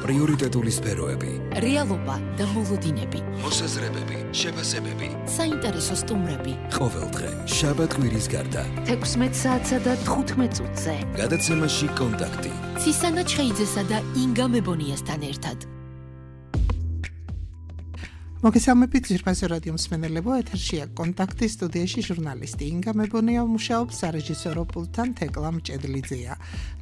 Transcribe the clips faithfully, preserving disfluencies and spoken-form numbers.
პრიორიტეტული სფეროები, რეალობა და მოლოდინები, მოსაზრებები, შეფასებები, საინტერესო სტუმრები. ყოველდღე შაბათ-კვირის გარდა თექვსმეტ საათსა და თხუთმეტ წუთზე გადაცემაში კონტაქტი ცისანა ჩხეიძესა და ინგა მებონიასთან ერთად. მოგესალმებით ძირფასი რადიო მსმენელებო, ეთერშია კონტაქტი, სტუდიაში ჟურნალისტი ინგა მებონია მუშაობს, სარეჟისორო პულტთან თეკლა მჭედლიძეა.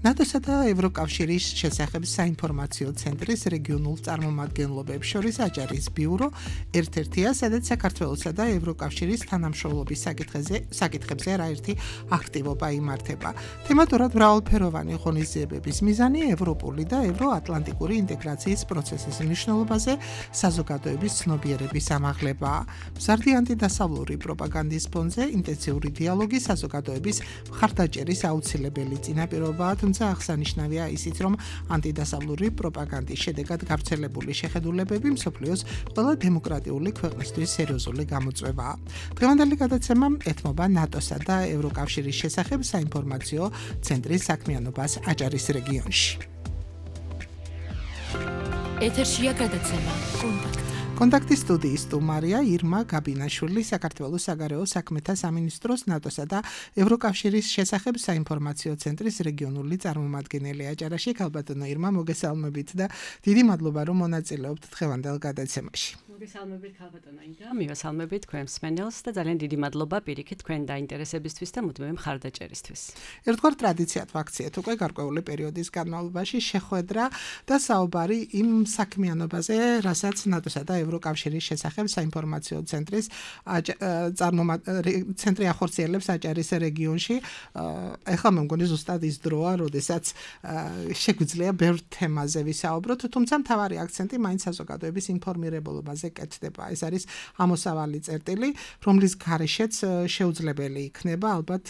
ნატოსა და ევროკავშირის შესახებ საინფორმაციო ცენტრის რეგიონულ წარმომადგენლობებს შორის აჭარის ბიურო ერთ-ერთია, სადაც საქართველოსა და ევროკავშირის თანამშრომლობის საკითხებზე საკითხებზე არაერთი აქტივობა იმართება. თემატურად მრავალფეროვანი ღონისძიებების მიზანი ევროპული და ევროატლანტიკური ინტეგრაციის პროცესის მნიშვნელობაზე საზოგადოების ცნობიერების ამაღლება. მზარდი ანტიდასავლური პროპაგანდის ფონზე ინტენსიური დიალოგი საზოგადოების მხარდაჭერის აუცილებელი წინაპირობაა, თუმცა აღსანიშნავია ისიც, რომ ანტიდასავლური პროპაგანდის შედეგად გავრცელებული შეხედულებები მსოფლიოს ყველა დემოკრატიული ქვეყნისთვის სერიოზული გამოწვევაა. დღევანდელი გადაცემა ეთმობა ნატოსა და ევროკავშირის შესახებ საინფორმაციო ცენტრის საქმიანობას აჭარის რეგიონში. ეთერშია გადაცემა კონტაქტი. კონტაქტის სტუდიის სტუმარია ირმა გაბინაშვილი, საქართველოს საგარეო საქმეთა სამინისტროს ნატოსა და ევროკავშირის შესახებ საინფორმაციო ცენტრის რეგიონული წარმომადგენელი აჭარაში. ქალბატონო ირმა, მოგესალმებით და დიდი მადლობა, რომ მონაწილეობთ დღევანდელ გადაცემაში. მოგესალმებით ქალბატონო ინგა, მივესალმებით თქვენ მსმენელს და ძალიან დიდი მადლობა პირიქით თქვენ დაინტერესებისთვის და მუდმივი მხარდაჭერისთვის. ერთგვარ ტრადიციად ვაქციეთ უკვე გარკვეული პერიოდის განმავლობაში შეხვედრა და საუბარი იმ საქმიანობაზე, რასაც ნატოსა და ევროკავშირის შესახებ საინფორმაციო ცენტრის ცენტრი ახორციელებს აჭარის რეგიონში. ეხლა მე მგონი ზუსტად ის დროა, როდესაც შეგვიძლია ბევრ თემაზე ვისაუბროთ, თუმცა მთავარი აქცენტი მაინც საზოგადოების ინფორმირებულობაზე კეთდება. ეს არის ამოსავალი წერტილი, რომლის გარეშეც შეუძლებელი იქნება ალბათ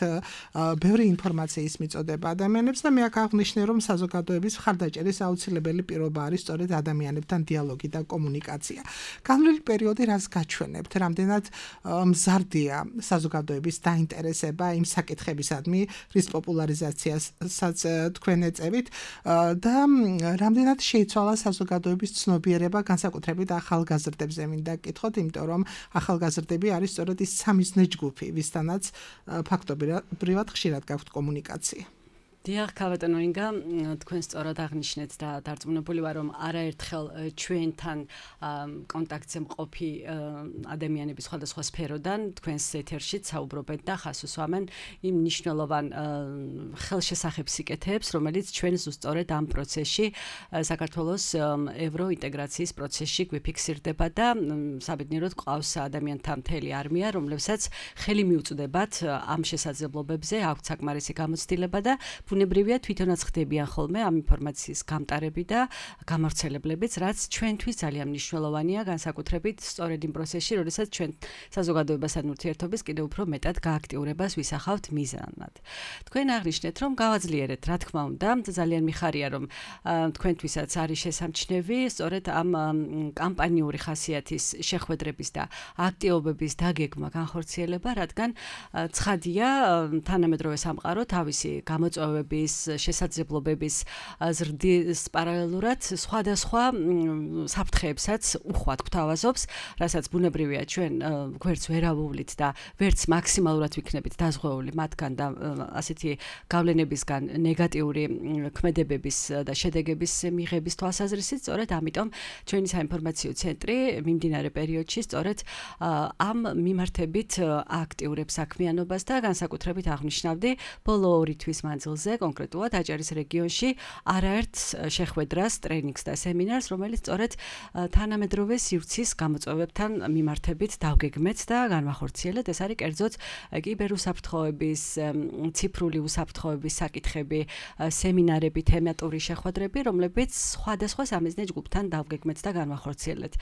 ბევრი ინფორმაციის მიწოდება ადამიანებს და მე აქ აღნიშნე, რომ საზოგადოების მხარდაჭერის აუცილებელი პირობა არის სწორედ ადამიანებთან დიალოგი და კომუნიკაცია. განვლილი პერიოდი რას გაჩვენებთ, რამდენად მზარდია საზოგადოების დაინტერესება იმ საკითხებისადმი, რის პოპულარიზაციასაც თქვენ ეწევით და რამდენად შეიცვალა საზოგადოების ცნობიერება, განსაკუთრებით ახალგაზრდებზე მინდა გკითხოთ, იმიტომ რომ ახალგაზრდები არის სწორედ ის სამიზნე ჯგუფი, ვისთანაც ფაქტობრივად ხშირად გაქვთ კომუნიკაცია. დიახ, ქალბატონო ინგა, თქვენ სწორად აღნიშნეთ და დარწმუნებული ვარ, რომ არაერთხელ ჩვენთან კონტაქტზე მყოფი ადამიანების სხვადასხვა სფეროდან თქვენს ეთერშიც საუბრობენ და ხას უსვამენ იმ მნიშვნელოვან ხელშესახებ სიკეთეებს, რომელიც ჩვენ ზუსტად ამ პროცესში, საქართველოს ევროინტეგრაციის პროცესში გვიფიქსირდება და საბედნიეროდ ყავს ადამიანთა მთელი არმია, რომლებსაც ხელი მიუწვდებათ ამ შესაძლებლობებზე, აქვთ საკმარისი გამოცდილება და ბუნებრივია თვითონაც ხდებიან ხოლმე ამ ინფორმაციის გამტარები და გამავრცელებლებიც, რაც ჩვენთვის ძალიან მნიშვნელოვანია, განსაკუთრებით სწორედ იმ პროცესში, როდესაც ჩვენ საზოგადოებასთან ურთიერთობის კიდევ უფრო მეტად გააქტიურებას ვისახავთ მიზანად. თქვენ აღნიშნეთ, რომ გავაძლიერეთ, რა თქმა უნდა, ძალიან მიხარია, რომ თქვენთვისაც არის შესამჩნევი სწორედ ამ კამპანიური ხასიათის შეხვედრების და აქტივობების დაგეგმა, განხორციელება, რადგან ცხადია, თანამედროვე სამყარო თავისი გამოწვევების შესაძლებლობების ზრდის პარალელურად სხვადასხვა საფრთხეებსაც უხვად გვთავაზობს, რასაც ბუნებრივია ჩვენ გვერდს ვერ ავუვლით და ვერც მაქსიმალურად ვიქნებით დაზღვეული მათგან და ასეთი გავლენებისგან ნეგატიური ქმედებების და შედეგების მიღების თვალსაზრისით, სწორედ ამიტომ ჩვენი საინფორმაციო ცენტრი მიმდინარე პერიოდში სწორედ ამ მიმართებით აქტიურებს საქმიანობას და განსაკუთრებით აღნიშნავდი ბოლო ორი თვის მანძილზე კონკრეტულად აჭარის რეგიონში არაერთ შეხვედრას, ტრენინგს და სემინარს, რომელიც სწორედ თანამედროვე სივრცის გამოწვევებთან მიმართებით დავგეგმეთ და განვახორციელეთ. ეს არის კერძოდ კიბერუსაფრთხოების, ციფრული უსაფრთხოების საკითხები, სემინარები, თემატური შეხვედრები, რომლებიც სხვადასხვა სამიზნე ჯგუფთან დავგეგმეთ და განვახორციელეთ.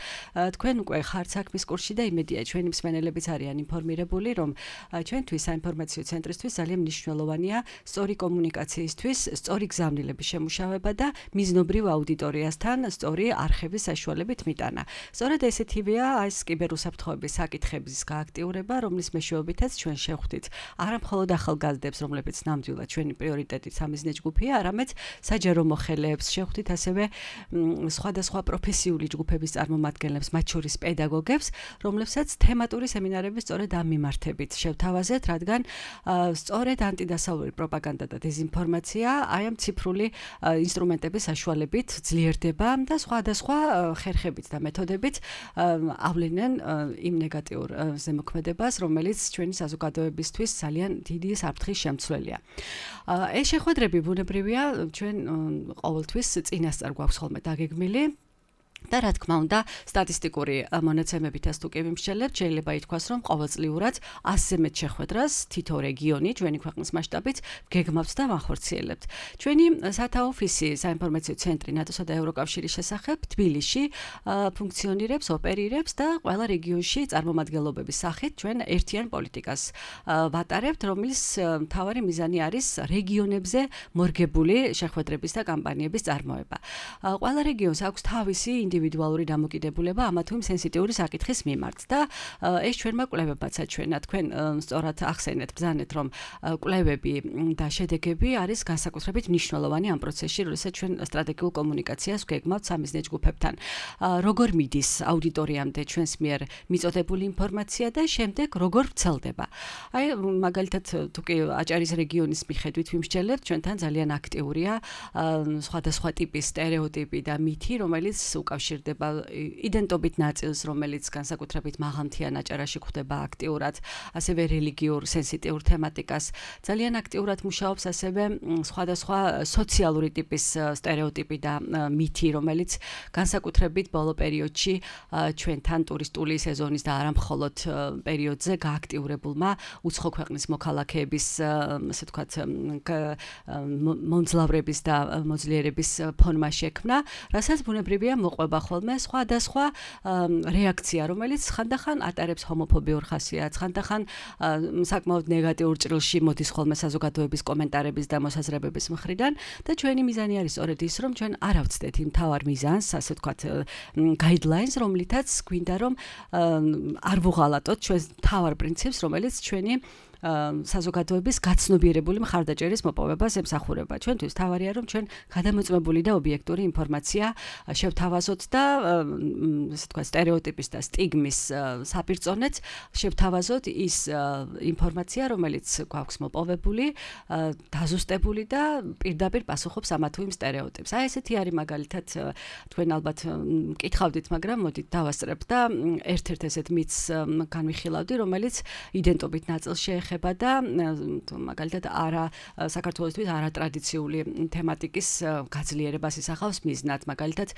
თქვენ უკვე ხართ საქმის კურსში და იმედია ჩვენი მსმენელებიც არიან ინფორმირებული, რომ ჩვენთვის საინფორმაციო ცენტრისთვის ძალიან მნიშვნელოვანია სწორი კომუნიკაცია კომუნიკაციისთვის სწორი გზავნილების შემუშავება და მიზნობრივ აუდიტორიასთან სწორი არხების საშუალებით მიტანა. სწორედ ესეთივეა ეს კიბერუსაფრთხოების საკითხების გააქტიურება, რომლის მეშვეობითაც ჩვენ შევხვდით არა მხოლოდ ახალგაზრდებს, რომლებიც ნამდვილად ჩვენი პრიორიტეტით სამიზნე ჯგუფია, არამედ საჯარო მოხელეებს შევხვდით, ასევე სხვადასხვა პროფესიული ჯგუფების წარმომადგენლებს, მათ შორის პედაგოგებს, რომლებსაც თემატური სემინარები სწორედ ამ მიმართებით შევთავაზეთ, რადგან სწორედ ანტიდასავლური პროპაგანდა და დეზინფორმაცია აი ამ ციფრული ინსტრუმენტების საშუალებით ძლიერდება და სხვადასხვა ხერხებით და მეთოდებით ავლენენ იმ ნეგატიურ ზემოქმედებას, რომელიც ჩვენი საზოგადოებისთვის ძალიან დიდი საფრთხის შემცველია. ეს შეხვედრები ბუნებრივია, ჩვენ ყოველთვის წინასწარ გვაქვს ხოლმე დაგეგმილი და რა თქმა უნდა, სტატისტიკური მონაცემებითაც თუ კი ვიმსჯელებთ, შეიძლება ითქვას, რომ ყოველწლიურად ასზე მეტ შეხვედრას თითო რეგიონი ჩვენი ქვეყნის მასშტაბით გეგმავს და მახორციელებთ. ჩვენი სათაოფისი საინფორმაციო ცენტრი ნატოსა და ევროკავშირის შესახებ თბილისში ფუნქციონირებს, ოპერირებს და ყველა რეგიონში წარმომადგენლობების სახით ჩვენ ერთიან პოლიტიკას ვატარებთ, რომლის მთავარი მიზანი არის რეგიონებზე მორგებული შეხვედრების და კამპანიების წარმოება. ყველა რეგიონს აქვს თავისი ინდივიდუალური დამოკიდებულება ამა თუ იმ სენსიტიური საკითხის მიმართ და ეს ჩვენმა კვლევებმაც აჩვენა. თქვენ სწორად ახსენეთ, ბრძანეთ, რომ კვლევები და შედეგები არის განსაკუთრებით მნიშვნელოვანი ამ პროცესში, როდესაც ჩვენ სტრატეგიულ კომუნიკაციას ვგეგმავთ სამიზნე ჯგუფებთან. როგორ მიდის აუდიტორიამდე ჩვენს მიერ მიწოდებული ინფორმაცია და შემდეგ როგორ ვრცელდება. აი მაგალითად, თუ კი აჭარის რეგიონის მიხედვით ვიმსჯელებთ, ჩვენთან ძალიან აქტიურია სხვადასხვა ტიპის სტერეოტიპი და მითი, რომელიც უკავშირდება იდენტობით ნაწილს, რომელიც განსაკუთრებით მაღალმთიან აჭარაში გვხვდება აქტიურად, ასევე რელიგიურ სენსიტიურ თემატიკას. ძალიან აქტიურად მუშაობს ასევე სხვადასხვა სოციალური ტიპის სტერეოტიპი და მითი, რომელიც განსაკუთრებით ბოლო პერიოდში ჩვენთან ტურისტული სეზონის და არა მხოლოდ პერიოდზე გააქტიურებულმა უცხო ქვეყნის მოქალაქეების, ასე ვთქვათ, მომძლავრების და მოძლიერების ფონმა შექმნა, რასაც ბუნებრივია მოყვება ხოლმე სხვადასხვა რეაქცია, რომელიც ხანდახან ატარებს ჰომოფობიურ ხასიათს, ხანდახან საკმაოდ ნეგატიურ ჭრილში მოდის ხოლმე საზოგადოების კომენტარების და მოსაზრებების მხრიდან და ჩვენი მიზანი არის სწორედ ის, რომ ჩვენ არ ავცდეთ იმ თავარ მიზანს, ასე ვთქვათ, guidelines, რომლითაც გვინდა რომ არ ვუღალატოთ ჩვენს თავარ პრინციპს, რომელიც ჩვენი საზოგადოების გაცნობიერებული მხარდაჭერის მოპოვებას ემსახურება. ჩვენთვის თავარია, რომ ჩვენ გადამოწმებული და ობიექტური ინფორმაცია შევთავაზოთ და ასე ვთქვათ, სტერეოტიპის და სტიგმის საპირწონეთ შევთავაზოთ ის ინფორმაცია, რომელიც გვაქვს მოპოვებული, დაზუსტებული და პირდაპირ პასუხობს ამა თუ იმ სტერეოტიპს. აი ესეთი არის მაგალითად, თქვენ ალბათ მკითხავდით, მაგრამ მოდით დავასწრებთ და ერთ-ერთ ესეთ მითს განვიხილავდი, რომელიც იდენტობით ნაწილს შეეხება და მაგალითად არა საქართველოსთვის არატრადიციული თემატიკის გაძლიერებას ისახავს მიზნად. მაგალითად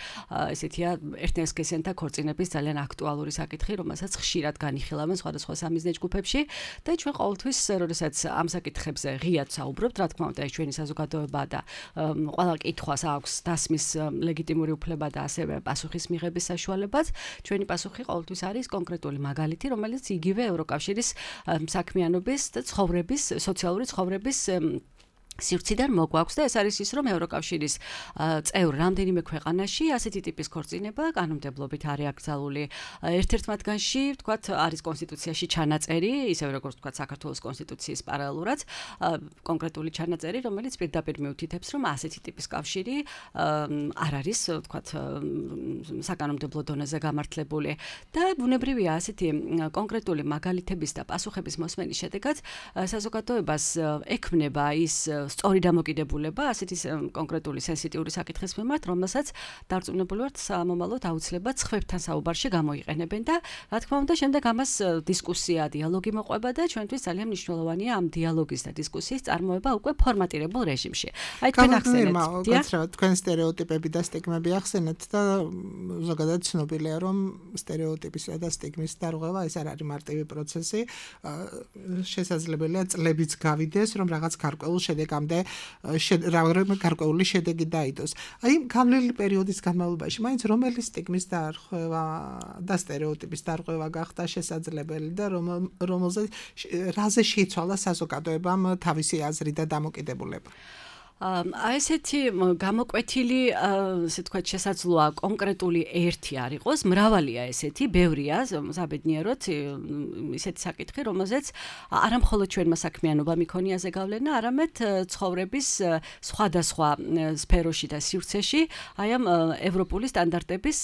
ესეთია ერთნაირსქესიანთა ქორწინების ძალიან აქტუალური საკითხი, რომელსაც ხშირად განიხილავენ სხვადასხვა სამიზნე ჯგუფებში და ჩვენ ყოველთვის, როდესაც ამ საკითხებზე ღიად საუბრობთ, რა თქმა უნდა, ეს ჩვენი საზოგადოება და ყველა კითხვას აქვს დასმის ლეგიტიმური უფლება და ასევე პასუხის მიღების საშუალებაც. ჩვენი პასუხი ყოველთვის არის კონკრეტული მაგალითი, რომელიც იგივე ევროკავშირის საქმიანობის და ცხოვრების, სოციალური ცხოვრების სივრციდან მოგვაქვს და ეს არის ის, რომ ევროკავშირის წევრ რამდენიმე ქვეყანაში ასეთი ტიპის ქორწინება კანონმდებლობით არის აკრძალული. ერთ-ერთ მათგანში, ვთქვათ, არის კონსტიტუციაში ჩანაწერი, ისევე როგორც ვთქვათ, საქართველოს კონსტიტუციის პარალელურად კონკრეტული ჩანაწერი, რომელიც პირდაპირ მიუთითებს, რომ ასეთი ტიპის კავშირი არ არის, ვთქვათ, საკანონმდებლო დონეზე გამართლებული და ბუნებრივია ასეთი კონკრეტული მაგალითების და პასუხების მოსმენის შედეგად საზოგადოებას ექმნება ის სწორი დამოკიდებულება ასეთი კონკრეტული სენსიტიური საკითხის მიმართ, რომელსაც დარწმუნებული ვართ სამომავლოდ აუცილებლად სხვებთან საუბარში გამოიყენებენ და რა თქმა უნდა შემდეგ ამას დისკუსია, დიალოგი მოყვება და ჩვენთვის ძალიან მნიშვნელოვანია ამ დიალოგის და დისკუსიის წარმოება უკვე ფორმატირებულ რეჟიმში. აი თქვენ ახსენეთ, გაცრავთ, თქვენ სტერეოტიპები და სტიგმები ახსენეთ და ზოგადად ცნობილია, რომ სტერეოტიპისა და სტიგმის დარღვევა ეს არ არის მარტივი პროცესი, შესაძლებელია წლებიც გავიდეს, რომ რაღაც გარკვეულ შედეგამდე რაღაც გარკვეული შედეგი დაიდოს. აი გამლელი პერიოდის განმავლობაში მაინც რომელი სტიგმის დარღვევა და სტერეოტიპის დარღვევა გახდა შესაძლებელი და რომელზე რაზე შეიცვალა საზოგადოებამ თავისი აზრი და დამოკიდებულება. აი ესეთი გამოკვეთილი, ასე თქვა, შესაძლოა კონკრეტული ერთი არ იყოს, მრავალია ესეთი, ბევრია, საბედნიეროდ ისეთი საკითხი, რომელზეც არა მხოლოდ ჩვენმა საქმიანობამ იქონიაზე გავლენა, არამედ ცხოვრების სხვადასხვა სფეროში და სივრცეში აი ამ ევროპული სტანდარტების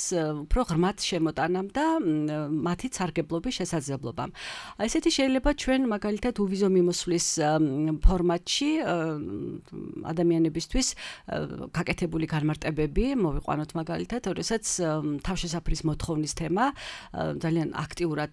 უფრო ღრმად შემოტანამ და მათი სარგებლობის შესაძლებლობამ. ესეთი შეიძლება ჩვენ მაგალითად უვიზო მიმოსვლის ფორმატში ადამიანებისთვის გაკეთებული განმარტებები მოვიყვანოთ მაგალითად, როდესაც თავშესაფრის მოთხოვნის თემა ძალიან აქტიურად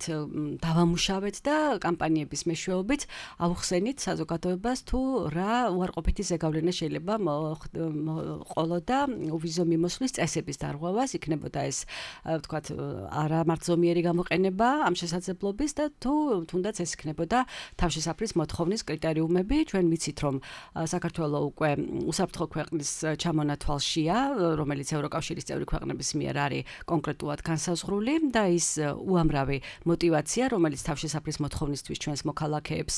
დავამუშავეთ და კამპანიების მეშვეობით ავხსენით საზოგადოებას თუ რა უარყოფითი ზეგავლენა შეიძლება მოყოლო და უვიზო მიმოსვლის წესების დარღვევას, იქნებოდა ეს ვთქვათ არამართლომიერი გამოყენება ამ შესაძლებლობის და თუ თუნდაც ეს იქნებოდა თავშესაფრის მოთხოვნის კრიტერიუმები. ჩვენ ვიცით, რომ საქართველოს უკვე უსაფრთხო ქვეყნის ჩამონათვალშია, რომელიც ევროკავშირის წევრი ქვეყნების მიერ არის კონკრეტულად განსაზღვრული და ის უამრავი მოტივაცია, რომელიც თავშესაფრის მოთხოვნისთვის ჩვენს მოქალაქეებს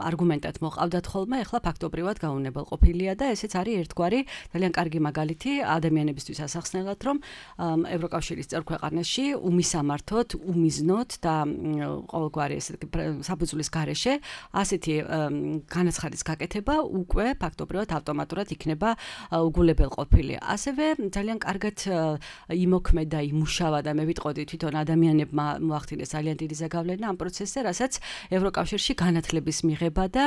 არგუმენტად მოყავდათ ხოლმე, ახლა ფაქტობრივად გაუნებელყოფილია და ესეც არის ერთგვარი ძალიან კარგი მაგალითი ადამიანებისთვის ასახსნელად, რომ ევროკავშირის წევრ ქვეყანაში უმისამართოდ, უმიზნოდ და ყოველგვარი ესეთი საფუძვლის გარეშე ასეთი განაცხადის გაკეთება უკვე ფაქტობრივად ავტომატურად იქნება უგულებელყოფილი. ასევე ძალიან კარგად იმოქმედა, იმუშავა და მე ვიტყოდი თვითონ ადამიანებმა მოახდინეს ძალიან დიდი ზეგავლენა ამ პროცესზე, რასაც ევროკავშირში განათლების მიღება და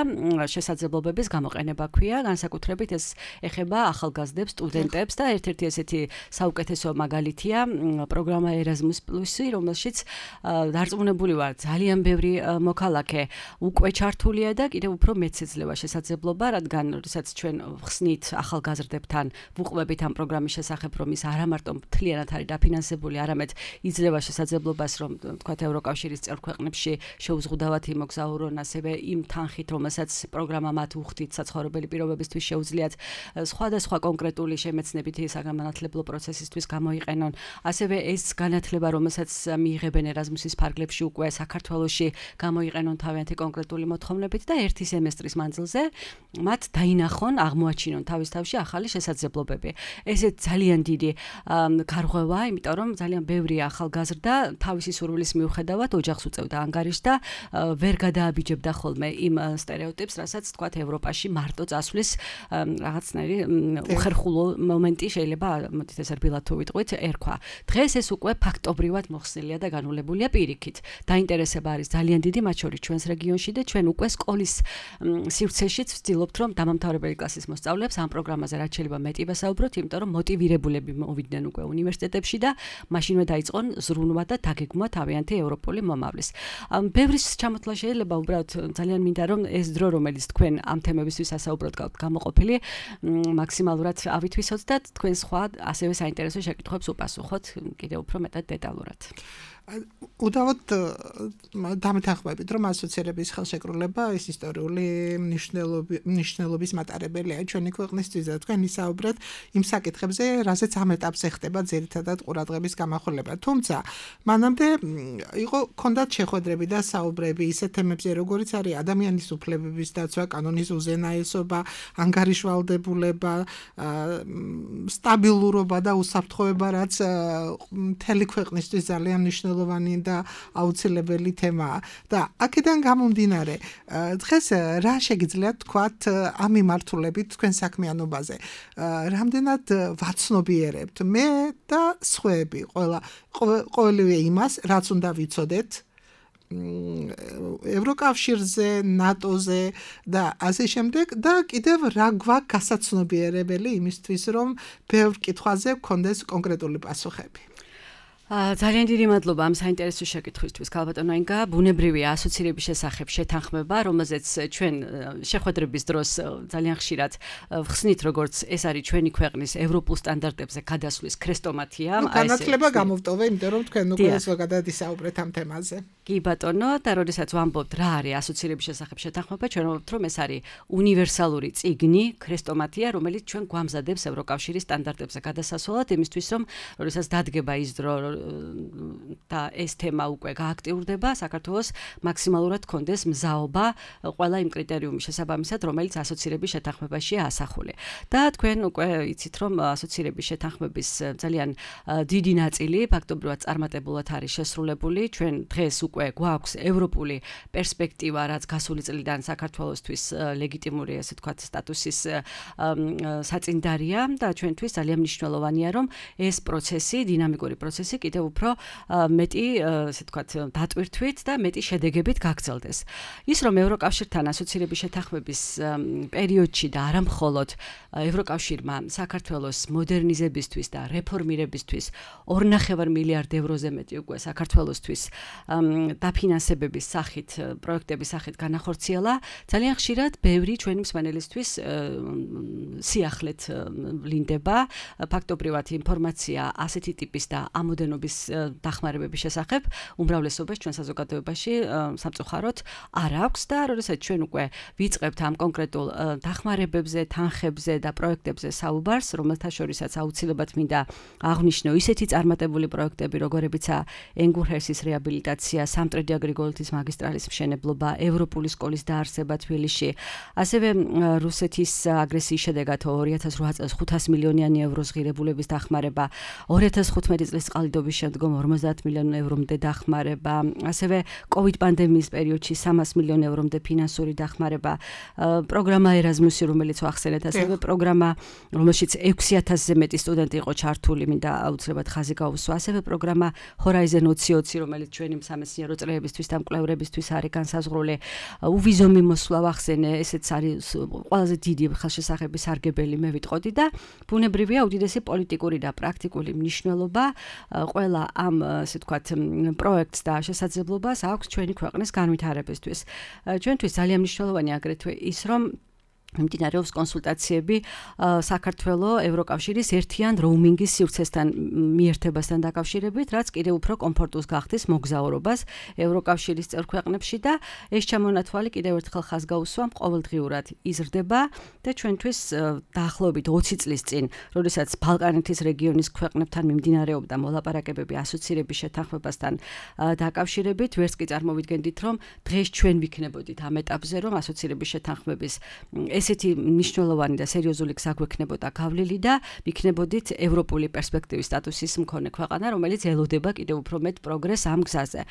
შესაძლებლობების გამოყენება ქვია, განსაკუთრებით ეს ეხება ახალგაზრდებს, სტუდენტებს და ერთ-ერთი ესეთი საუკეთესო მაგალითია პროგრამა Erasmus Plus-ი, რომელშიც დარწმუნებული ვარ, ძალიან ბევრი მოქალაქე უკვე ჩართულია და კიდევ უფრო მეც ეძლევა შესაძლებლობა, რადგან როდესაც ჩვენ ხსნით ახალგაზრდებთან, ვუყვებით ამ პროგრამის შესახებ, რომ ის არა მარტო მთლიანად არის დაფინანსებული, არამედ იძლევა შესაძლებლობას, რომ თქვათ ევროკავშირის წევრ ქვეყნებში შეუზღუდავად იმოგზაურონ, ასევე იმ თანხით, რომელსაც პროგრამა მათ უხდით საცხოვრებელი პირობებისთვის შეუძლიათ სხვადასხვა კონკრეტული შემეცნებითი საგანმანათლებლო პროცესისთვის გამოიყენონ. ასევე ეს განათლება, რომელსაც მიიღებენ ერაზმუსის ფარგლებში უკვე საქართველოში გამოიყენონ თავიანთი კონკრეტული მოთხოვნებით და ერთი სემესტრის მანძილზე მათ დაინახონ, აღმოაჩინონ თავის თავში ახალი შესაძლებლობები. ესეც ძალიან დიდი გარღვევა, იმიტომ რომ ძალიან ბევრი ახალგაზრდა თავისი სურვილის მიუხედავად ოჯახს უწევდა ანგარიშს და ვერ გადააბიჯებდა ხოლმე იმ სტერეოტიპს, რასაც თქვათ ევროპაში მარტო წასვლის რაღაცნაირი უხერხულო მომენტი შეიძლება, მოდით ეს რბილად თუ ვიტყვით, ერქვა. დღეს ეს უკვე ფაქტობრივად მოხსნილია და განულებულია პირიქით. დაინტერესება არის ძალიან დიდი, მათ შორის ჩვენს რეგიონში და ჩვენ უკვე სკოლის სივრცეშიც ვცდილობთ, რომ დამამთავრებელი კლასის მოსწავლეებს ამ პროგრამაზე რაც შეიძლება მეტი ვესაუბროთ, იმიტომ რომ მოტივირებულები მოვიდნენ უკვე უნივერსიტეტებში და მაშინვე დაიწყონ ზრუნვა და დაგეგმვა თავიანთი ევროპული მომავლის. ბევრის ჩამოთვლა შეიძლება, უბრალოდ ძალიან მინდა რომ ეს დრო, რომელიც თქვენ ამ თემებისთვის ასაუბროთ გაქვთ გამოყოფილი, მაქსიმალურად ავითვისოთ და თქვენ სხვა ასევე საინტერესო შეკითხვებს უპასუხოთ კიდევ უფრო მეტად დეტალურად. უდავოდ დამეთანხმებით, რომ ასოცირების ხელშეკრულება ის ისტორიული მნიშვნელობის მატარებელია ჩვენი ქვეყნისთვის და თქვენ ისაუბრეთ იმ საკითხებზე, რასაც ამ ეტაპზე ხდება ძირითადად ყურადღების გამახვილება. თუმცა, მანამდე იყო ქონდათ შეხვედრები და საუბრები ისეთ თემებზე, როგორიც არის ადამიანის უფლებების დაცვა, კანონის უზენაესობა, ანგარიშვალდებულება, სტაბილურობა და უსაფრთხოება, რაც მთელი ქვეყნისთვის ძალიან მნიშვნელოვანია და აუცილებელი თემაა. და აქედან გამომდინარე, დღეს რა შეგიძლიათ თქვათ ამ მიმართულებით თქვენ საქმიანობაზე? რამდენად ვაცნობიერებთ მე და სხვაები, ყველა ყოველივე იმას, რაც უნდა ვიცოდეთ ევროკავშირზე, ნატოზე და ასე შემდეგ და კიდევ რა გვაქვს გასაცნობიერებელი იმისთვის, რომ ბევრ კითხვაზე გქონდეს კონკრეტული პასუხები. ძალიან დიდი მადლობა ამ საინტერესო შეკითხვისთვის, ქალბატონო ინგა. ბუნებრივია ასოცირების შესახებ შეთანხმება, რომელზეც ჩვენ შეხვედრების დროს ძალიან ხშირად ვხსნით, როგორც ეს არის ჩვენი ქვეყნის ევროპულ სტანდარტებზე გადასვლის ქრესტომატია. განათლება გამოვტოვე, იმიტომ რომ თქვენ უკვე ზოგადად ისაუბრეთ ამ თემაზე. კი ბატონო, და როდესაც ვამბობთ რა არის ასოცირების შესახებ შეთანხმება, ჩვენ ვამბობთ, რომ ეს არის უნივერსალური წიგნი, ქრესტომატია, რომელიც ჩვენ გვამზადებს ევროკავშირის სტანდარტებზე გადასასვლელად, იმისთვის, რომ როდესაც დადგება ის დრო, და ეს თემა უკვე გააქტიურდება, საქართველოს მაქსიმალურად კონდეს მზაობა ყველა იმ კრიტერიუმის შესაბამისად, რომელიც ასოცირების შეთანხმებაშია ასახული. და თქვენ უკვე იცით, რომ ასოცირების შეთანხმების ძალიან დიდი ნაწილი ფაქტობრივად წარმატებულად არის შესრულებული. ჩვენ დღეს უკვე გვაქვს ევროპული პერსპექტივა, რაც გასული წლიდან საქართველოსთვის ლეგიტიმური, ასე ვთქვათ, სტატუსის საწინდარია და ჩვენთვის ძალიან მნიშვნელოვანია, რომ ეს პროცესი, დინამიკური პროცესი კიდევ უფრო მეტი, ასე ვთქვათ, დატვირთვით და მეტი შედეგებით გაგრძელდეს. ის რომ ევროკავშირთან ასოცირების შეთანხმების პერიოდში და არა მხოლოდ ევროკავშირმა საქართველოს მოდერნიზებისთვის და რეფორმირებისთვის ორნახევარ მილიარდ ევროზე მეტი უკვე საქართველოსთვის დაფინანსებების სახით, პროექტების სახით განახორციელა, ძალიან ხშირად ბევრი ჩვენი მსმენელისთვის სიახლეთ ვლინდება ფაქტობრივად ინფორმაცია ასეთი ტიპის და ამოდენობის დახმარებების შესახებ უმრავლესობას ჩვენ საზოგადოებაში სამწუხაროდ არ აქვს და როდესაც ჩვენ უკვე ვიწყებთ ამ კონკრეტულ დახმარებებზე, თანხებზე და პროექტებზე საუბარს, რომელთა შორისაც აუცილებლად მინდა აღვნიშნო ისეთი წარმატებული პროექტები, როგორებიცაა ენგურჰერსის რეაბილიტაცია, სამტრედია გრიგოლეთის მაგისტრალის მშენებლობა, ევროპული სკოლის დაარსება თბილისში, ასევე რუსეთის აგრესიის შედეგად ორი ათას ოთხ წელს ხუთას მილიონიანი ევროს ღირებულების დახმარება, ორი ათას ხუთმეტი წლის წყალდიდობის შემდგომ ორმოცდაათ მილიონ ევრომდე დახმარება, ასევე კოვიდ პანდემიის პერიოდში სამას მილიონ ევრომდე ფინანსური დახმარება, პროგრამა ერაზმუსი, რომელიც ახსენეთ, ასევე პროგრამა, რომელშიც ექვსი ათასზე მეტი სტუდენტი იყო ჩართული, მინდა აუცილებლად ხაზი გაუსვა, ასევე პროგრამა Horizon ოცი ოცი, რომელიც ჩვენი სამეცნიერო წრეებისთვის და მკვლევრებისთვის არის განსაზღვრული, უვიზო მიმოსვლა ვახსენე, ესეც არის ყველაზე დიდი ხელშესახების სარგებელი, მე ვიტყოდი და ბუნებრივია უდიდესი პოლიტიკური და პრაქტიკული მნიშვნელობა ყველა ამ, ასე ვთქვათ, პროექტს და შესაძლებლობას აქვს ჩვენი ქვეყნის განვითარებისთვის. ჩვენთვის ძალიან მნიშვნელოვანია აგრეთვე ის, რომ მიმდინარეობს კონსულტაციები საქართველოს ევროკავშირის ერთიან როუმინგის სივრცესთან მიერთებასთან დაკავშირებით, რაც კიდევ უფრო კომფორტულს გახდის მოგზაურობას ევროკავშირის წევრ ქვეყნებში და ეს ჩამონათვალი კიდევ ერთხელ ხაზს გაუსვამ, ყოველდღიურად იზრდება და ჩვენთვის დაახლოებით ოცი წლის წინ, როდესაც ბალკანეთის რეგიონის ქვეყნებთან მიმდინარეობდა მოლაპარაკებები ასოცირების შეთანხმებასთან დაკავშირებით, ვერც კი წარმოვიდგენდით, რომ დღეს ჩვენ ვიქნებოდით ამ ეტაპზე, რომ ასოცირების შეთანხმების ესეთი მნიშვნელოვანი და სერიოზული გზა გვექნებოდა გავლილი და ვიქნებოდით ევროპული პერსპექტივის სტატუსის მქონე ქვეყანა, რომელიც ელოდება კიდევ უფრო მეტ პროგრესს ამ გზაზე.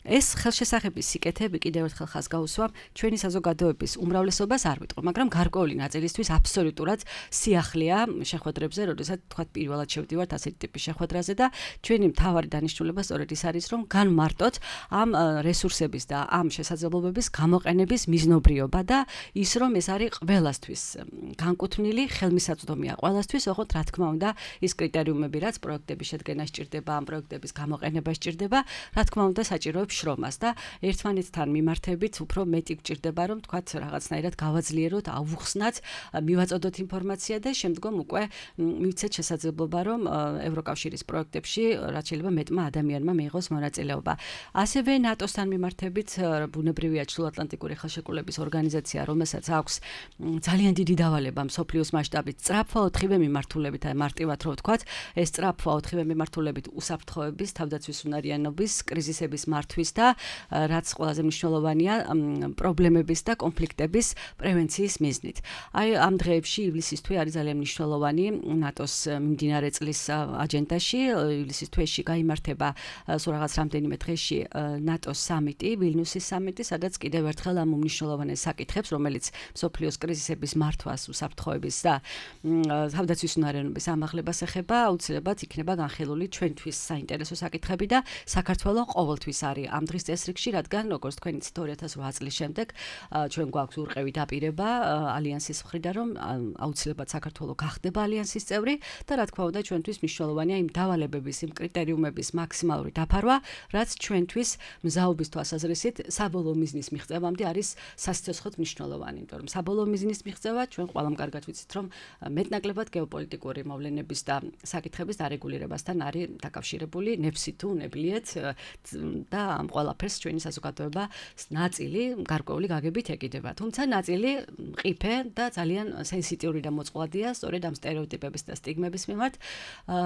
ეს ხელშესახების სიკეთეები კიდევ ერთხელ ხაზს გაუსვამ ჩვენი საზოგადოების უმრავლესობას არ ვიტყვი, მაგრამ გარკვეული ნაწილისთვის აბსოლუტურად სიახლეა შეხვედრებზე, როდესაც თქვათ პირველად შევდივართ ასეთი ტიპის შეხვედრაზე და ჩვენი მთავარი დანიშნულება სწორედ ის არის, რომ განმარტოთ ამ რესურსების და ამ შესაძლებლობების გამოყენების მიზნობრიობა და ის, რომ ეს არის ყველასთვის განკუთვნილი, ხელმისაწვდომია ყველასთვის, ოღონდ რა თქმა უნდა, ის კრიტერიუმები, რაც პროექტების შედგენა სჭირდება, ამ პროექტების გამოყენება სჭირდება, რა თქმა უნდა, საჭიროებს შრომას და ერთმანეთთან მიმართებით უფრო მეტი გჭირდება, რომ თქვათ რაღაცნაირად გავაძლიეროთ, ავუხსნათ, მივაწოდოთ ინფორმაცია და შემდგომ უკვე მივცეთ შესაძლებლობა, რომ ევროკავშირის პროექტებში რაც შეიძლება მეტმა ადამიანმა მიიღოს მონაწილეობა. ასევე ნატოსთან მიმართებით ბუნებრივია ჩრდილოატლანტიკური ხელშეკრულების ორგანიზაცია, რომელსაც აქვს ძალიან დიდი დავალება მსოფლიოს მასშტაბით, სწრაფვა ოთხივე მიმართულებით, აი მარტივად რო ვთქვათ, ეს სწრაფვა ოთხივე მიმართულებით უსაფრთხოების, თავდაცვის უნარიანობის, კრიზისების მართვის და რაც ყველაზე მნიშვნელოვანია, პრობლემების და კონფლიქტების პრევენციის მიზნით. აი ამ დღეებში ივლისის თვე არის ძალიან მნიშვნელოვანი ნატოს მიმდინარე წლის აჯენდაში, ივლისის თვეში გაიმართება სულ რაღაც რამდენიმე დღეში ნატოს სამიტი, ვილნიუსის სამიტი, სადაც კიდევ ერთხელ ამ უმნიშვნელოვანეს საკითხებს, რომელიც მსოფლიოს კრიზისების მართვას, უსაფრთხოების და თავდაცვის უნარიანობის ამაღლებას ეხება, აუცილებლად იქნება განხილული ჩვენთვის საინტერესო საკითხები და საქართველოს ყოველთვის არის ამ დღის წესრიგში, რადგან როგორც თქვენ იცით ორი ათას ოთხ წლის შემდეგ ჩვენ გვაქვს ურყევი დაპირება ალიანსის მხრიდან, რომ აუცილებლად საქართველოს გახდება ალიანსის წევრი და რა თქმა უნდა ჩვენთვის მნიშვნელოვანია იმ დავალებების, იმ კრიტერიუმების მაქსიმალური დაფარვა, რაც ჩვენთვის მზაობის თვალსაზრისით საბოლოო მიზნის მიღწევამდე არის სასიცოცხლოდ მნიშვნელოვანი, იმიტომ რომ საბოლოო მიზნის იმის მიღწევა, ჩვენ ყველამ კარგად ვიცით, რომ მეტნაკლებად გეოპოლიტიკური მოვლენების და საკითხების დარეგულირებასთან არის დაკავშირებული ნებსი თუ ნებლიეთ და ამ ყველაფერს ჩვენი საზოგადოება ნაწილი გარკვეული გაგებით ეკიდება. თუმცა ნაწილი მყიფე და ძალიან სენსიტიური და მოწყვლადია სწორედ ამ სტერეოტიპების და სტიგმების მიმართ,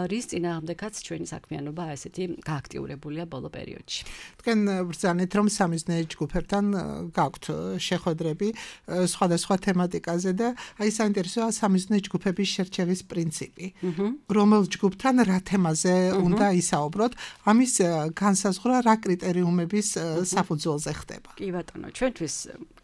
რის წინააღმდეგაც ჩვენი საქმიანობა ესეთი გააქტიურებულია ბოლო პერიოდში. თქვენ ბრძანეთ, რომ სამიზნე ჯგუფებთან გაქვთ შეხვედრები სხვადასხვა თემატიკაზე და აი საინტერესოა სამიზნე ჯგუფების შერჩევის პრინციპი. რომელ ჯგუფთან რა თემაზე უნდა ისაუბროთ, ამის განსაზღვრა რა კრიტერიუმების საფუძველზე ხდება. კი ბატონო, ჩვენთვის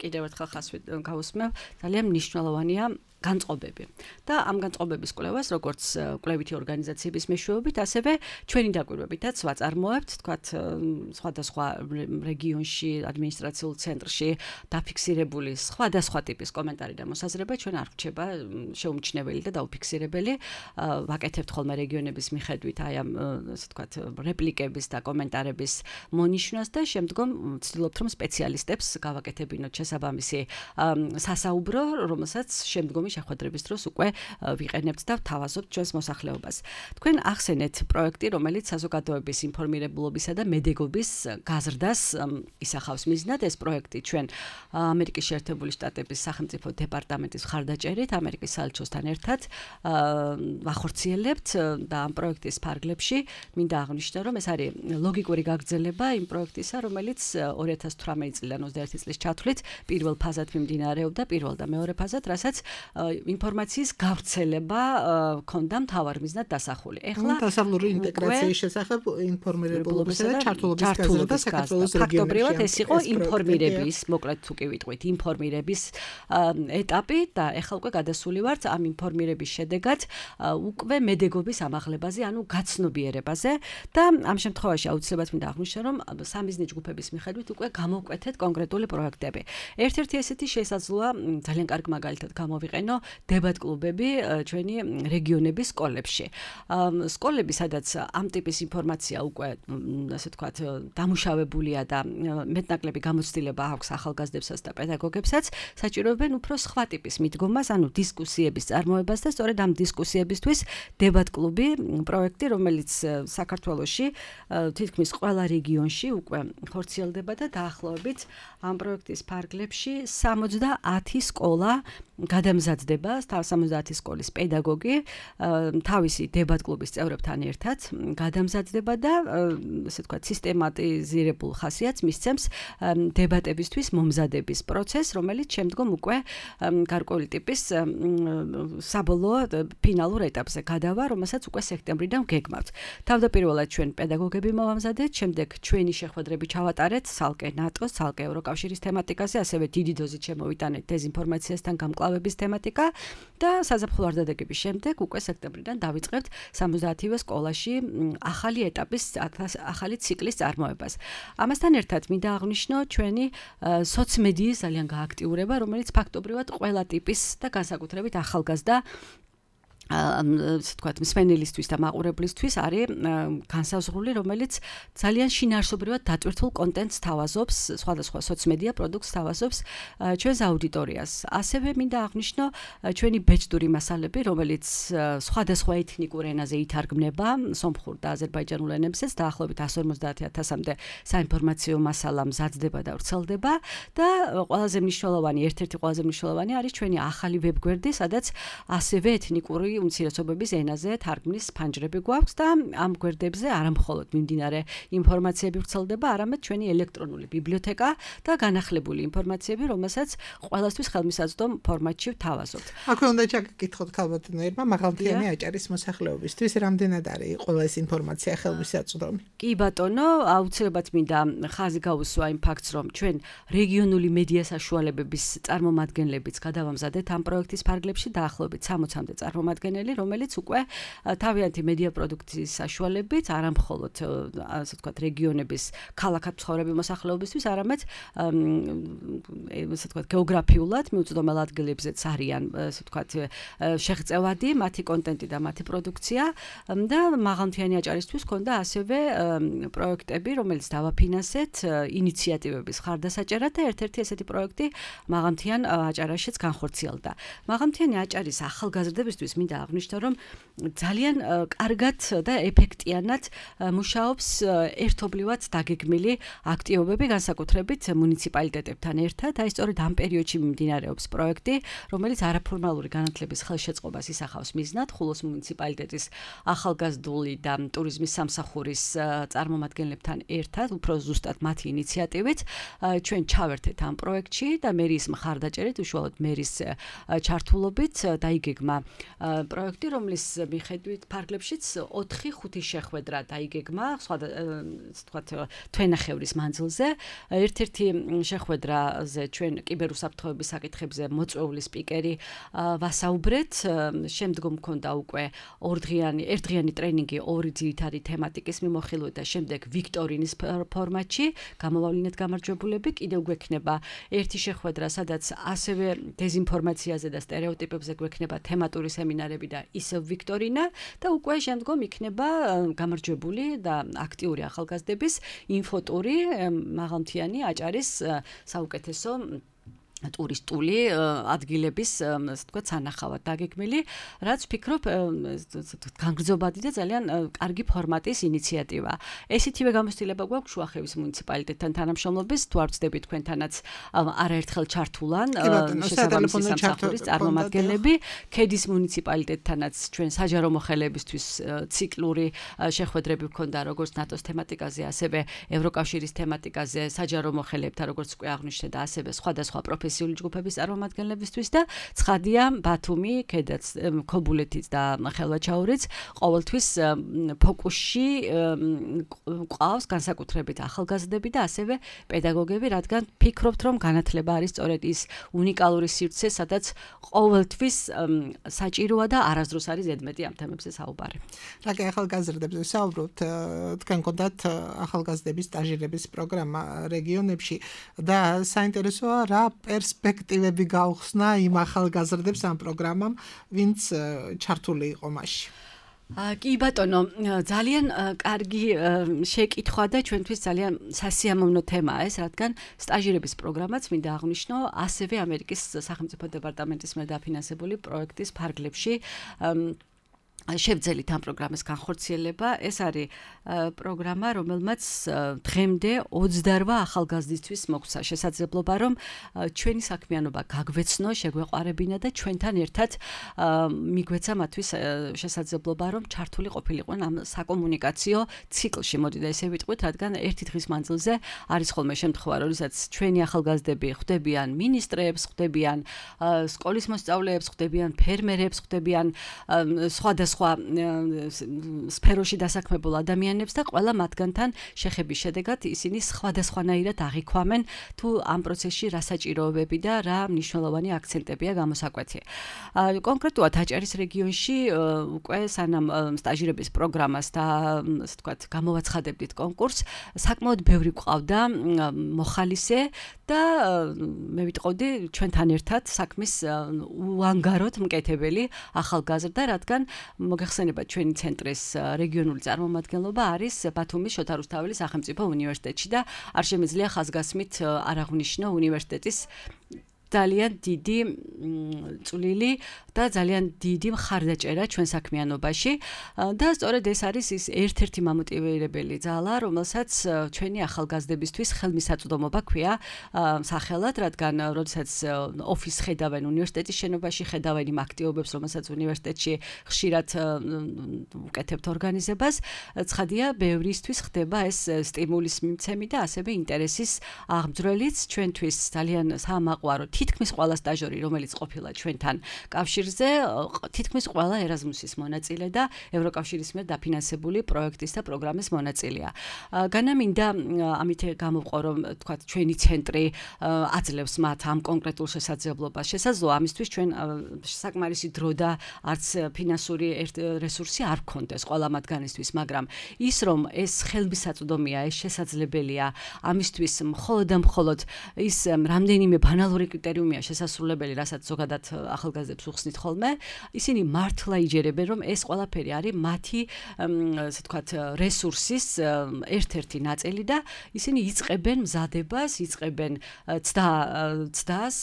კიდევ ერთხელ ხას გავუსმევ, ძალიან მნიშვნელოვანია განწყობები. და ამ განწყობების კვლევას, როგორც კვლევითი ორგანიზაციების მეშვეობით, ასევე ჩვენი დაკვირვებითაც ვაწარმოებთ, თქვათ, სხვადასხვა რეგიონში, ადმინისტრაციულ ცენტრში დაფიქსირებული სხვადასხვა ტიპის კომენტარი და მოსაზრება ჩვენ არ ვრჩება შეუმჩნეველი და დაუფიქსირებელი. ვაკეთებთ ხოლმე რეგიონების მიხედვით აი ამ, ასე ვთქვათ, რეპლიკების და კომენტარების მონიშნვას და შემდგომ ვცდილობთ, რომ სპეციალისტებს გავაკეთებინოთ შესაბამისი სასაუბრო, რომელსაც შემდგომი შეხვედრების დროს უკვე ვიყენებთ და ვთავაზობთ ჩვენს მოსახლეობას. თქვენ ახსენეთ პროექტი, რომელიც საზოგადოების ინფორმირებულობისა და მედეგობის გაზრდას ისახავს მიზნად. ეს პროექტი ჩვენ ამერიკის შეერთებული შტატების სახელმწიფო დეპარტამენტის მხარდაჭერით ამერიკის საელჩოსთან ერთად ვახორციელებთ და ამ პროექტის ფარგლებში მინდა აღნიშნო, რომ ეს არის ლოგიკური გაგრძელება იმ პროექტისა, რომელიც ორი ათას თვრამეტი წლიდან ოცდაერთი წლის ჩათვლით პირველ ფაზად მიმდინარეობდა, პირველ და მეორე ფაზად, რასაც ინფორმაციის გავრცელება ქონდა მთავარ მიზნად დასახული. ეხლა დასავლური ინტეგრაციის შესახებ ინფორმირებულობისა და ჩართულობის გაზრდა საქართველოს რეგიონებში. ფაქტობრივად ეს იყო ინფორმირების, მოკლედ თუ კი ვიტყვით, ინფორმირების ეტაპი და ეხლა უკვე გადასული ვართ ამ ინფორმირების შედეგად უკვე მედეგობის ამაღლებაზე, ანუ გაცნობიერებაზე და ამ შემთხვევაში აუცილებლად მინდა აღვნიშნო, რომ სამიზნე ჯგუფების მიხედვით უკვე გამოვკვეთეთ კონკრეტული პროექტები. ერთ-ერთი ესეთი შესაძლოა ძალიან კარგ მაგალითად გამოვიყენო დებატ კლუბები ჩვენი რეგიონების სკოლებში. სკოლები, სადაც ამ ტიპის ინფორმაცია უკვე, ასე ვთქვათ, დამუშავებულია და მეტნაკლები გამოცდილება აქვს ახალგაზრდებსაც და პედაგოგებსაც, საჭიროებენ უფრო სხვა ტიპის მიდგომას, ანუ დისკუსიების წარმოებას და სწორედ ამ დისკუსიებისთვის დებატ კლუბი პროექტი, რომელიც საქართველოში თითქმის ყველა რეგიონში უკვე ხორციელდება და დაახლოებით ამ პროექტის ფარგლებში სამოცდაათი სკოლა გადამზადდება, სამოცდაათი სკოლის პედაგოგი თავისი დებატ კლუბის წევრებთან ერთად გადამზადდება და ასე ვთქვათ, სისტემატიზირებულ ხასიათს მისცემს დებატებისთვის მომზადების პროცესს, რომელიც შემდგომ უკვე გარკვეული ტიპის საბოლოო ფინალურ ეტაპზე გადავა, რომელსაც უკვე სექტემბრიდან გეგმავთ. თავდაპირველად ჩვენ პედაგოგები მოვამზადეთ, შემდეგ ჩვენი შეხვედრები ჩავატარეთ ცალკე ნატოს, ცალკე ევროკავშირის თემატიკაზე, ასევე დიდი დოზით შემოვიტანეთ დეზინფორმაციასთან გამკლავების თემატიკა და საზაფხულო არდადეგების შემდეგ უკვე სექტემბრიდან დავიწყებთ სამოცდაათივე სკოლაში ახალი ეტაპის, ახალი ციკლის წარმოებას. ამასთან ერთად მინდა აღვნიშნო ჩვენი სოციმედიის ძალიან გააქტიურება, რომელიც ფაქტობრივად ყველა ტიპის და განსაკუთრებით ახალგაზრდა ასე ვთქვათ, მსმენელისთვის და მაყურებლისთვის არის განსაზღვრული, რომელიც ძალიან შინაარსობრივად დატვირთულ კონტენტს თავაზობს, სხვადასხვა სოციმედია პროდუქტს თავაზობს ჩვენს აუდიტორიას. ასევე მინდა აღვნიშნო ჩვენი ბეჭდური მასალები, რომელიც სხვადასხვა ეთნიკურ ენაზე ითარგმნება, სომხურ და აზერბაიჯანულ ენებზეც, დაახლოებით εκατს ორმოცდაათი ათასამდე საინფორმაციო მასალა მზადდება და ვრცელდება და ყველაზე მნიშვნელოვანი, ერთ-ერთი ყველაზე მნიშვნელოვანი არის ჩვენი ახალი ვებგვერდი, სადაც ასევე ეთნიკური უმცირესობების ენაზე თარგმნის ფანჯრები გვაქვს და ამ გვერდებზე არამხოლოდ მიმდინარე ინფორმაციები ვრცელდება, არამედ ჩვენი ელექტრონული ბიბლიოთეკა და განახლებული ინფორმაციები, რომელსაც ყველასთვის ხელმისაწვდომ ფორმატში ვთავაზობთ. აქვე უნდა ჩაგკითხოთ ქალბატონებმა, მაღალმთიანი აჭარის მოსახლეობისთვის რამდენად არის ყველა ეს ინფორმაცია ხელმისაწვდომი? კი ბატონო, აუცილებლად მინდა ხაზი გაუსვა იმ ფაქტს, რომ ჩვენ რეგიონული მედია საშუალებების წარმომადგენლებიც გადავამზადეთ ამ პროექტის ფარგლებში დაახლოებით სამოცამდე წარმომადგენელი წარმომადგენელი, რომელიც უკვე თავიანთი მედია პროდუქციის საშუალებით არა მხოლოდ ასე ვთქვათ რეგიონების ქალაქად მცხოვრები მოსახლეობისთვის, არამედ ასე ვთქვათ გეოგრაფიულად მიუწვდომელ ადგილებზეც არიან ასე ვთქვათ შეღწევადი მათი კონტენტი და მათი პროდუქცია და მაღალმთიანი აჭარისთვის ქონდა ასევე პროექტები, რომელიც დავაფინანსეთ ინიციატივების ხარდასაჭერად და ერთ-ერთი ესეთი პროექტი მაღალმთიან აჭარაშიც განხორციელდა. მაღალმთიანი აჭარის ახალგაზრდებისთვის მინდა აღვნიშნო, რომ ძალიან კარგად და ეფექტიანად მუშაობს ერთობლივად დაგეგმილი აქტივობები განსაკუთრებით მუნიციპალიტეტებთან ერთად. აი სწორედ ამ პერიოდში მიმდინარეობს პროექტი, რომელიც არაფორმალური განათლების ხელშეწყობას ისახავს მიზნად ხულოს მუნიციპალიტეტის ახალგაზრდული და ტურიზმის სამსახურის წარმომადგენლებთან ერთად, უფრო ზუსტად მათი ინიციატივით ჩვენ ჩავერთეთ ამ პროექტში და მერის მხარდაჭერით, უშუალოდ მერის ჩართულობით დაიგეგმა პროექტი, რომლის მიხედვით ფარგლებშიც ოთხი ხუთი შეხვედრა დაიგეგმა, სხვა ვთქვათ თვენახევრის მანძილზე. ერთ-ერთი შეხვედრაზე ჩვენ კიბერუსაფრთხოების საკითხებზე მოწვეული სპიკერი ვასაუბრეთ. შემდგომ მქონდა უკვე ორდღიანი, ერთდღიანი ტრენინგი ორი ძირითადი თემატიკის მიმოხილვით და შემდეგ ვიქტორინის ფორმატში გამოავლინეთ გამარჯვებულები. კიდევ გვექნება ერთი შეხვედრა, სადაც ასევე დეზინფორმაციაზე და სტერეოტიპებზე გვექნება თემატური სემინარები და ისევ ვიქტორინა და უკვე შემდგომ იქნება გამარჯვებული და აქტიური ახალგაზრდების ინფოტური მაღალმთიანი აჭარის საუკეთესო ტურისტული ადგილების ასე ვთქვათ სანახავად დაგეგმილი, რაც ვფიქრობ განგრძობადი და ძალიან კარგი ფორმატის ინიციატივა. ესეთივე გამოცდილება გვაქვს შუახევის მუნიციპალიტეტთან თანამშრომლობის, თუ არ ვცდები თქვენთანაც არაერთხელ ჩართულან შესაბამისი სამსახურის წარმომადგენლები, ქედის მუნიციპალიტეტთანაც ჩვენ საჯარო მოხელებისთვის ციკლური შეხვედრები გვქონდა როგორც ნატოს თემატიკაზე, ასევე ევროკავშირის თემატიკაზე, საჯარო მოხელებთან, როგორც უკვე აღნიშნე და ასევე სხვადასხვა პროფესიული ჯგუფების წარმომადგენლებისთვის და ცხადია ბათუმი, ქედაც, ქობულეთიც და ხელვაჩაურიც ყოველთვის ფოკუსში ყავს განსაკუთრებით ახალგაზრდები და ასევე პედაგოგები, რადგან ფიქრობთ, რომ განათლება არის სწორედ ის უნიკალური სივრცე, სადაც ყოველთვის საჭიროა და არასდროს არის ზედმეტი ამ თემებზე საუბარი. რაკი ახალგაზრდებზე საუბრობთ, თქვენ გქონდათ ახალგაზრდების სტაჟირების პროგრამა რეგიონებში და საინტერესოა რა პერსპექტივები გაუხსნა იმ ახალგაზრდებს ამ პროგრამამ, ვინც ჩართული იყო მასში. კი ბატონო, ძალიან კარგი შეკითხვა და ჩვენთვის ძალიან სასიამოვნო თემაა ეს, რადგან სტაჟირების პროგრამაც მინდა აღვნიშნო ასევე ამერიკის სახელმწიფო დეპარტამენტის მიერ დაფინანსებული პროექტის ფარგლებში შევძელით ამ პროგრამის განხორციელება. ეს არის პროგრამა, რომელმაც დღემდე ოცდაოთხ ახალგაზრდისთვის მოგცა შესაძლებლობა, რომ ჩვენი საქმიანობა გაგვეცნო, შეგვეყარებინა და ჩვენთან ერთად მიგვეცა მათთვის შესაძლებლობა, რომ ჩართული ყოფილიყვნენ ამ საკომუნიკაციო ციკლში. მოდით ესე ვიტყვით, რადგან ერთი დღის მანძილზე არის ხოლმე შემთხვევა, როდესაც ჩვენი ახალგაზრდები ხვდებიან მინისტრებს, ხვდებიან სკოლის მოსწავლეებს, ხვდებიან ფერმერებს, ხვდებიან სხვადასხვა სხვა სფეროში დასაქმებულ ადამიანებს და ყველა მათგანთან შეხების შედეგად ისინი სხვადასხვანაირად აღიქვამენ თუ ამ პროცესში რა საჭიროებები და რა მნიშვნელოვანი აქცენტებია გამოსაკვეთი. კონკრეტულად აჭარის რეგიონში უკვე სანამ სტაჟირების პროგრამას და ასე ვთქვათ გამოვაცხადებდით კონკურსს, საკმაოდ ბევრი გვყავდა მოხალისე და მე ვიტყოდი ჩვენთან ერთად საქმის უანგაროდ მკეთებელი ახალგაზრდა, რადგან მოგეხსენებათ ჩვენი ცენტრის რეგიონული წარმომადგენლობა არის ბათუმის შოთა რუსთაველის სახელმწიფო უნივერსიტეტში და არ შემიძლია ხაზგასმით არ აღვნიშნო უნივერსიტეტის ძალიან დიდი წვლილი და ძალიან დიდი მხარდაჭერა ჩვენ საქმიანობაში და სწორედ ეს არის ის ერთ-ერთი მამოტივირებელი ძალა, რომელსაც ჩვენი ახალგაზრდებისთვის ხელმისაწვდომობა ქვია სახელად, რადგან როდესაც ოფისს ხედავენ უნივერსიტეტის შენობაში, ხედავენ იმ აქტივობებს, რომელსაც უნივერსიტეტში ხშირად უკეთებთ ორგანიზებას, ცხადია, ბევრისთვის ხდება ეს სტიმულის მიმცემი და ასევე ინტერესის აღმძვრელიც ჩვენთვის ძალიან საამაყვარო თითქმის ყველა სტაჟორი, რომელიც ყოფილა ჩვენთან კავშირზე, თითქმის ყველა ერაზმუსის მონაწილე და ევროკავშირის მიერ დაფინანსებული პროექტის და პროგრამის მონაწილეა. განამინდა ამით გამოვყო, რომ თქვათ ჩვენი ცენტრი აძლევს მათ ამ კონკრეტულ შესაძლებლობას. შესაძლოა ამისთვის ჩვენ საკმარისი დრო და არც ფინანსური რესურსი არ გქონდეს ყველა მათგანისთვის, მაგრამ ის რომ ეს ხელმისაწვდომია, ეს შესაძლებელია, ამისთვის მხოლოდ და მხოლოდ ის რამდენიმე ბანალური კრიტერიუმია შესასრულებელი, რასაც ზოგადად ახალგაზრდებს უხსნით ხოლმე, ისინი მართლა იჯერებენ, რომ ეს ყველაფერი არის მათი, ასე ვთქვათ, რესურსის ერთ-ერთი ნაწილი და ისინი იწყებენ მზადებას, იწყებენ ცდა ცდას,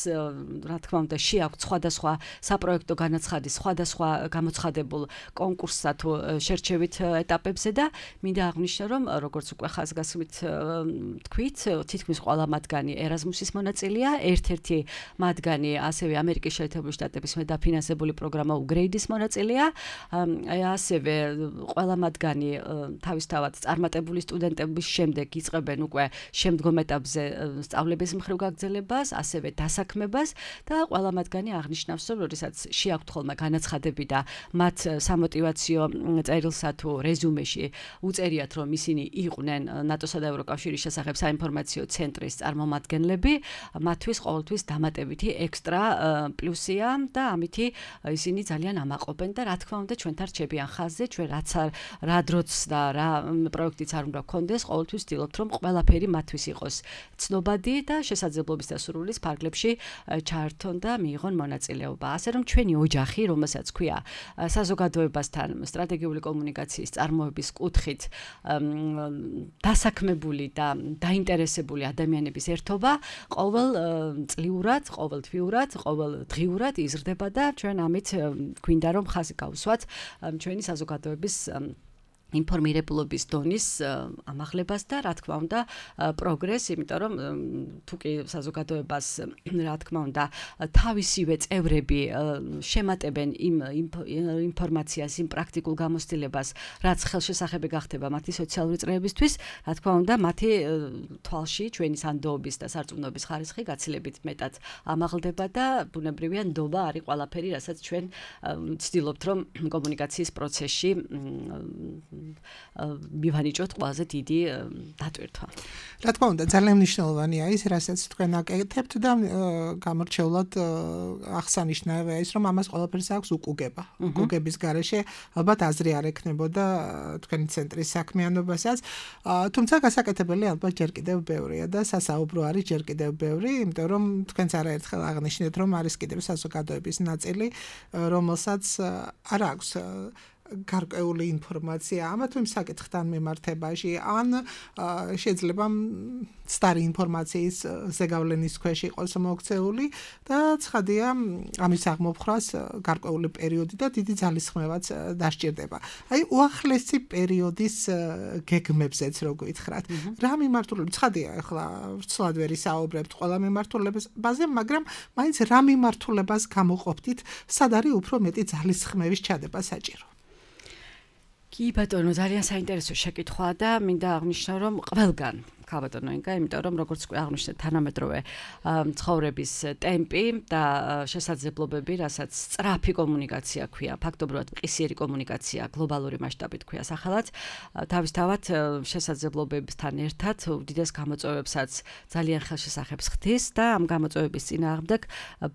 რა თქმა უნდა, შეაქვთ სხვადასხვა საპროექტო განაცხადის, სხვადასხვა გამოცხადებულ კონკურსსა თუ შერჩევით ეტაპებზე და მინდა აღნიშნო, რომ როგორც უკვე ხაზგასმით თქვით, თითქმის ყველა მათგანი ერაზმუსის მონაწილეა, ერთ-ერთი მათგანი ასევე ამერიკის შეერთებული შტატების მიერ დაფინანსებული პროგრამა უგრეიდის მონაწილეა, ასევე ყველა მათგანი თავისთავად წარმატებული სტუდენტების შემდეგ იწყებენ უკვე შემდგომ ეტაპზე სწავლების მხრივ გაგრძელებას, ასევე დასაქმებას და ყველა მათგანი აღნიშნავს, რომ როდესაც შეაქვთ ხოლმე განაცხადები და მათ სამოტივაციო წერილსა თუ რეზუმეში უწერიათ, რომ ისინი იყვნენ ნატოსა და ევროკავშირის შესახებ საინფორმაციო ცენტრის წარმომადგენლები, მათთვის ყოველთვის დამატებითი ექსტრა პლუსია და ამითი ისინი ძალიან ამაყობენ და რა თქმა უნდა ჩვენთან რჩებიან ხაზზე, ჩვენ რაც რა დროც და რა პროექტიც არ უნდა გქონდეს, ყოველთვის ვცდილობთ, რომ ყველაფერი მათთვის იყოს ცნობადი და შესაძლებლობის და სურვილის ფარგლებში ჩაერთონ და მიიღონ მონაწილეობა. ასე რომ ჩვენი ოჯახი, რომელსაც ქვია საზოგადოებასთან სტრატეგიული კომუნიკაციის წარმოების კუთხით დასაქმებული და დაინტერესებული ადამიანების ერთობა ყოველ წლიურად, ყოველ თვიურად, ყოველ დღიურად იზრდება და ჩვენ ამით გვინდა რომ ხაზი გავუსვათ ჩვენი საზოგადოების ინფორმირებულობის დონის ამაღლებას და რა თქმა უნდა პროგრესს, იმიტომ რომ თუ კი საზოგადოებას რა თქმა უნდა თავისივე წევრები შემატებენ იმ ინფორმაციას, იმ პრაქტიკულ გამოცდილებას, რაც ხელშესახები გახდება მათი სოციალური წრეებისთვის, რა თქმა უნდა მათი თვალში ჩვენი სანდოობის და სარწმუნოების ხარისხი გაცილებით მეტად ამაღლდება და ბუნებრივია ნდობა არის ყველაფერი, რასაც ჩვენ ვცდილობთ რომ კომუნიკაციის პროცესში მივანიჭოთ ყველაზე დიდი დატვირთვა. რა თქმა უნდა, ძალიან მნიშვნელოვანია ის, რასაც თქვენ აკეთებთ და გამორჩეულად აღსანიშნავია ის, რომ ამას ყველაფერს აქვს უკუგება. უკუგების გარეშე ალბათ აზრი არ ექნებოდა თქვენი ცენტრის საქმიანობასაც, თუმცა გასაკეთებელი ალბათ ჯერ კიდევ ბევრია და სასაუბრო არის ჯერ კიდევ ბევრი, იმიტომ რომ თქვენც არაერთხელ აღნიშნეთ, რომ არის კიდევ საზოგადოების ნაწილი, რომელსაც არ აქვს გარკვეული ინფორმაცია ამა თუ იმ საკითხთან მიმართებაში, ან შეიძლება სტარი ინფორმაციის ზეგავლენის ქვეშ იყოს მოქცეული და ცხადია ამის აღმოფხრას გარკვეული პერიოდი და დიდი ძალისხმევაც დასჭირდება. აი უახლესი პერიოდის გეგმებზეც რო გითხრათ, რა მიმართულებით ცხადია, ახლა ვცლად ვერ ისაუბრებთ ყველა მიმართულებაზე, მაგრამ მაინც რა მიმართულებას გამოყოფდით, სად არის უფრო მეტი ძალისხმევის ჩადება საჭირო? კი ბატონო, ძალიან საინტერესო შეკითხვაა და მინდა აღნიშნო, რომ ყველგან ქაბატონო ინკა, იმიტომ რომ როგორც უკვე აღნიშნეთ, თანამედროვე ცხოვრების ტემპი და შესაძლებლობები, რასაც სწრაფი კომუნიკაცია ქვია, ფაქტობრივად მყისიერი კომუნიკაცია, გლობალური მასშტაბით ქვია სახელად, თავისთავად შესაძლებლობებთან ერთად უდიდეს გამოწვევებსაც ძალიან ხელშესახებს ხდის და ამ გამოწვევების წინააღმდეგ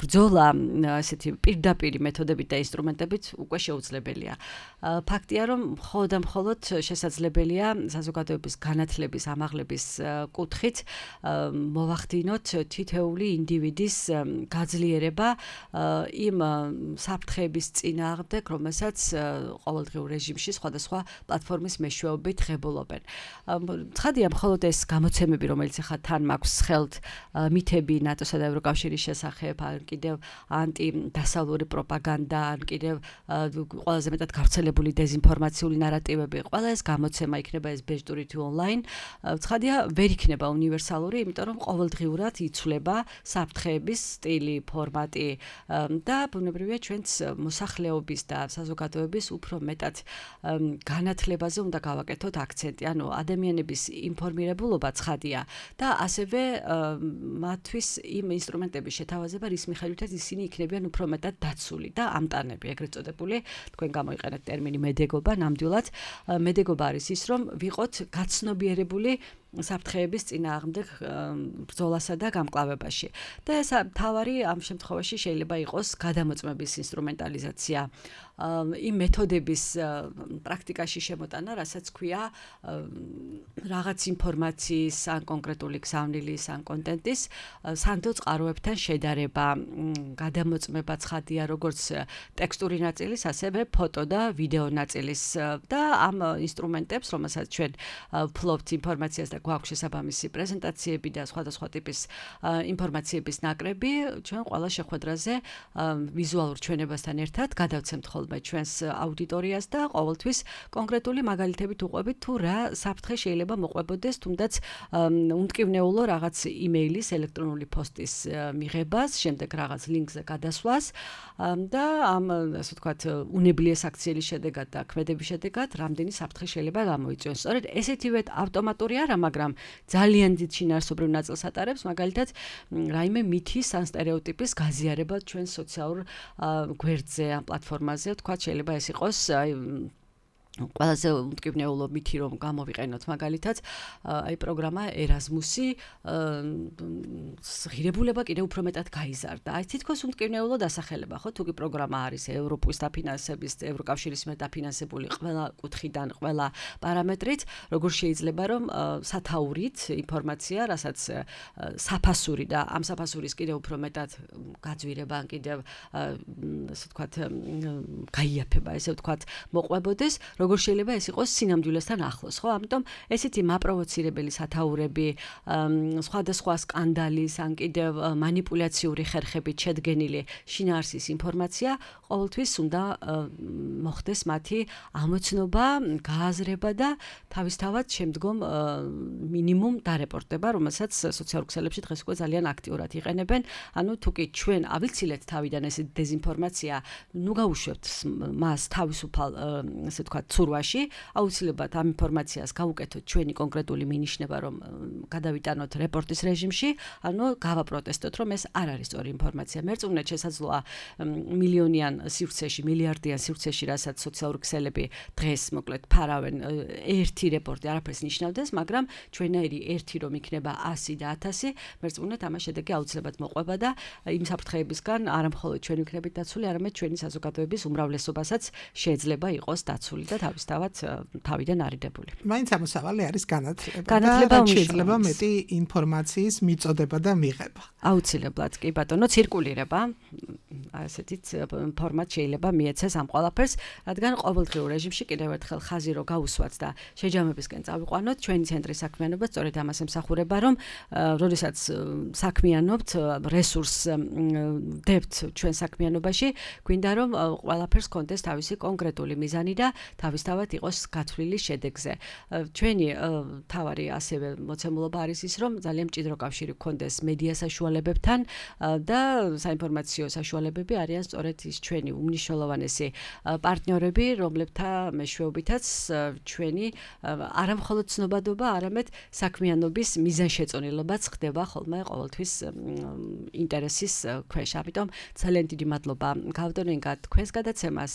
ბრძოლა ესეთი პირდაპირი მეთოდებით და ინსტრუმენტებით უკვე შეუძლებელია. ფაქტია, რომ მხოლოდ და მხოლოდ შესაძლებელია საზოგადოების განათლების, ამაღლების კუთხით მოვახდინოთ თითეული ინდივიდის გაძლიერება იმ საფრთხეების წინააღმდეგ, რომელსაც ყოველდღიურ რეჟიმში სხვადასხვა პლატფორმის მეშვეობით ღებულობენ. ცხადია, მხოლოდ ეს გამოცემები, რომელიც ახლა თან მაქვს ხელთ, მითები ნატოსა და ევროკავშირის შესახებ, ან კიდევ ანტიდასავლური პროპაგანდა, ან კიდევ ყველაზე მეტად გავრცელებული დეზინფორმაციული ნარატივები, ყველა ეს გამოცემა იქნება ეს ბეჭდური თუ ონლაინ. ცხადია, ვერ იქნება უნივერსალური, იმიტომ რომ ყოველდღიურად იცვლება საფრთხეების სტილი, ფორმატი და ბუნებრივია ჩვენც მოსახლეობის და საზოგადოების უფრო მეტად განათლებაზე უნდა გავაკეთოთ აქცენტი. ანუ ადამიანების ინფორმირებულობა ცხადია და ასევე მათთვის იმ ინსტრუმენტების შეთავაზება, რის მიხედვითაც ისინი იქნებიან უფრო მეტად დაცული და ამტანები, ეგრეთ წოდებული, თქვენ გამოიყენეთ ტერმინი მედეგობა, ნამდვილად მედეგობა არის ის, რომ ვიყოთ გაცნობიერებული საფრთხეების წინააღმდეგ ბრძოლასა და გამკლავებაში. და ეს თავარი ამ შემთხვევაში შეიძლება იყოს გადამოწმების ინსტრუმენტალიზაცია, იმ მეთოდების პრაქტიკაში შემოტანა, რასაც ქვია რაღაც ინფორმაციის ან კონკრეტული გზავნილის ან კონტენტის სანდო წყაროებთან შედარება, გადამოწმება ცხადია როგორც ტექსტური ნაწილის, ასევე ფოტო და ვიდეო ნაწილის და ამ ინსტრუმენტებს, რომელსაც ჩვენ ვფლობთ ინფორმაციას და გვაქვს შესაბამისი პრეზენტაციები და სხვადასხვა ტიპის ინფორმაციების ნაკრები, ჩვენ ყველა შეხვედრაზე ვიზუალურ ჩვენებასთან ერთად გადავცემთ ხოლმე ჩვენს აუდიტორიას და ყოველთვის კონკრეტული მაგალითებით უყვებით თუ რა საფრთხე შეიძლება მოყვებოდეს, თუნდაც უმტკივნეულო რაღაც იმეილის, ელექტრონული პოსტის მიღებას, შემდეგ რაღაც ლინკზე გადასვლას და ამ ასე ვთქვათ უნებლიეს აქციების შედეგად და ქმედების შედეგად რამდენი საფრთხე შეიძლება გამოიწვიოს. სწორედ ესეთივე ავტომატური არა, მაგრამ ძალიან დიდ შინაარსობრივ ნაწილს ატარებს, მაგალითად, რაიმე მითის ან სტერეოტიპის გაზიარება ჩვენ სოციალურ გვერდზე ან პლატფორმაზე, თქვათ, შეიძლება ეს იყოს ყველაზე უმტკივნეულო მითი რომ გამოვიყენოთ მაგალითად აი პროგრამა ერაზმუსი ღირებულება კიდევ უფრო მეტად გაიზარდა. აი თითქოს უმტკივნეულო დასახელება, ხო, თუკი პროგრამა არის ევროპის დაფინანსების, ევროკავშირის მიერ დაფინანსებული ყველა კუთხიდან, ყველა პარამეტრით, როგორ შეიძლება რომ სათაურით ინფორმაცია, რასაც საფასური და ამ საფასურის კიდევ უფრო მეტად გაძვირება, კიდევ ასე ვთქვათ, გაიაფება, ესე ვთქვათ, მოყვებოდეს, როგორ შეიძლება ეს იყოს სინამდვილესთან ახლოს, ხო? ამიტომ ესეთი მაპროვოცირებელი სათაურები, სხვადასხვა სკანდალის, ან კიდევ მანიპულაციური ხერხებით შედგენილი შინაარსის ინფორმაცია ყოველთვის უნდა მოხდეს მათი ამოცნობა, გააზრება და თავისთავად შემდგომ მინიმუმ დარეპორტება, რომელსაც სოციალურ ქსელებში დღეს უკვე ძალიან აქტიურად იყენებენ. ანუ თუკი ჩვენ ავიცილეთ თავიდან ეს დეზინფორმაცია, ნუ გაუშვებთ მას თავისუფალ, ასე ვთქვათ, ცურვაში, აუცილებლად ამ ინფორმაციას გავუკეთოთ ჩვენი კონკრეტული მინიშნება, რომ გადავიტანოთ რეპორტის რეჟიმში, ანუ გავაპროტესტოთ, რომ ეს არ არის სწორი ინფორმაცია. მერწმუნედ შესაძლოა მილიონიან სივრცეში, მილიარდიან სივრცეში, რასაც სოციალური ქსელები დღეს მოკლედ ფარავენ, ერთი რეპორტი არაფერს ნიშნავდეს, მაგრამ ჩვენაირი ერთი რომ იქნება ასი და ათასი, მერწმუნედ ამას შედეგი აუცილებლად მოყვება და იმ საფრთხეებისგან არა მხოლოდ ჩვენ ვიქნებით დაცული, არამედ ჩვენი საზოგადოების უმრავლესობასაც შეიძლება იყოს დაცული და თავისთავად თავიდან არიდებული. მაინც ამოსავალი არის განათლება. განათლება შეიძლება მეტი ინფორმაციის მიწოდება და მიღება. აუცილებლად, კი ბატონო, ცირკულირება. ასეთიც ფორმატ შეიძლება მიეცეს ამ ყველაფერს, რადგან ყოველდღიურ რეჟიმში კიდევ ერთხელ ხაზი რო გაუსვათ და შეჯამებისკენ წავიყვანოთ, ჩვენი ცენტრის საქმიანობა სწორედ ამას ემსახურება, რომ როდესაც საქმიანობთ, რესურსს დებთ ჩვენ საქმიანობაში, გვინდა რომ ყველაფერს კონდეს თავისი კონკრეტული მიზანი და თავისთავად იყოს გათვლილი შედეგზე. ჩვენი თავარი ასევე მოცემულობა არის ის, რომ ძალიან მჭიდრო კავშირი გქონდეს მედია საშუალებებთან და საინფორმაციო საშუალებები არიან სწორედ ის ჩვენი უმნიშვნელოვანესი პარტნიორები, რომლებთან მეშვეობითაც ჩვენი არა მხოლოდ ცნობადობა, არამედ საქმიანობის მიზანშეწონილობაც ხდება ხოლმე ყოველთვის ინტერესის ქვეშ. ამიტომ ძალიან დიდი მადლობა გავდონე თქვენს გადაცემას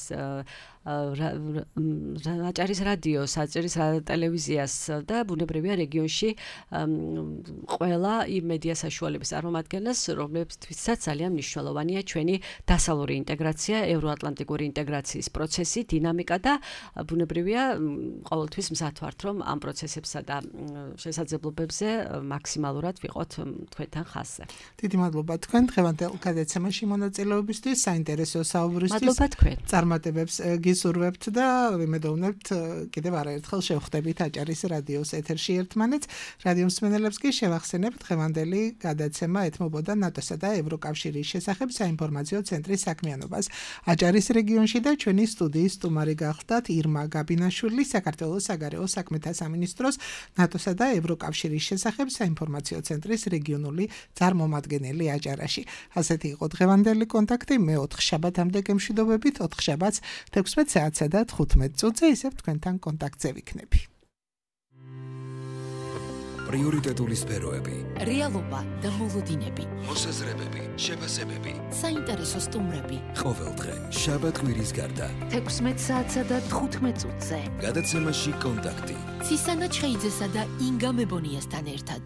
აჭარის რადიოს, აჭარის ტელევიზიას და ბუნებრივია რეგიონში ყველა იმ მედია საშუალების წარმომადგენლებს, რომლებთვისაც ძალიან მნიშვნელოვანია ჩვენი დასავლური ინტეგრაცია, ევროატლანტიკური ინტეგრაციის პროცესი, დინამიკა და ბუნებრივია ყოველთვის მზად ვართ, რომ ამ პროცესებსა და შესაძლებლობებზე მაქსიმალურად ვიყოთ თქვენთან ხაზზე. დიდი მადლობა თქვენ დღევანდელ გადაცემაში მონაწილეობისთვის, საინტერესო საუბრისთვის. მადლობა თქვენ. წარმატებებს მოგისურვებთ და ვიმედოვნებთ კიდევ არაერთხელ შევხვდებით აჭარის რადიოს ეთერში ერთმანეთს. რადიო მსმენელებს კი შევახსენებ დღევანდელი გადაცემა ეთმობოდა ნატოსა და ევროკავშირის შესახებ საინფორმაციო ცენტრის საქმიანობას აჭარის რეგიონში და ჩვენი სტუდიის სტუმარი გახლდათ ირმა გაბინაშვილი, საქართველოს საგარეო საქმეთა სამინისტროს ნატოსა და ევროკავშირის შესახებ საინფორმაციო ცენტრის რეგიონული წარმომადგენელი აჭარაში. ასეთი იყო დღევანდელი კონტაქტი. მე ოთხ შაბათამდე გემშვიდობებით, ოთხ შაბათს თექვსმეტ საათსა და თხუთმეტ წუთზე ისევ თქვენთან კონტაქტზე ვიქნები. პრიორიტეტული სფეროები, რეალობა და მოლოდინები, მოსაზრებები, შეფასებები, საინტერესო სტუმრები. ყოველდღე შაბათ კვირის გარდა თექვსმეტ საათსა და თხუთმეტ წუთზე. გადაცემაში კონტაქტი. ცისანა ჩხეიძესა და ინგა მებონიასთან ერთად.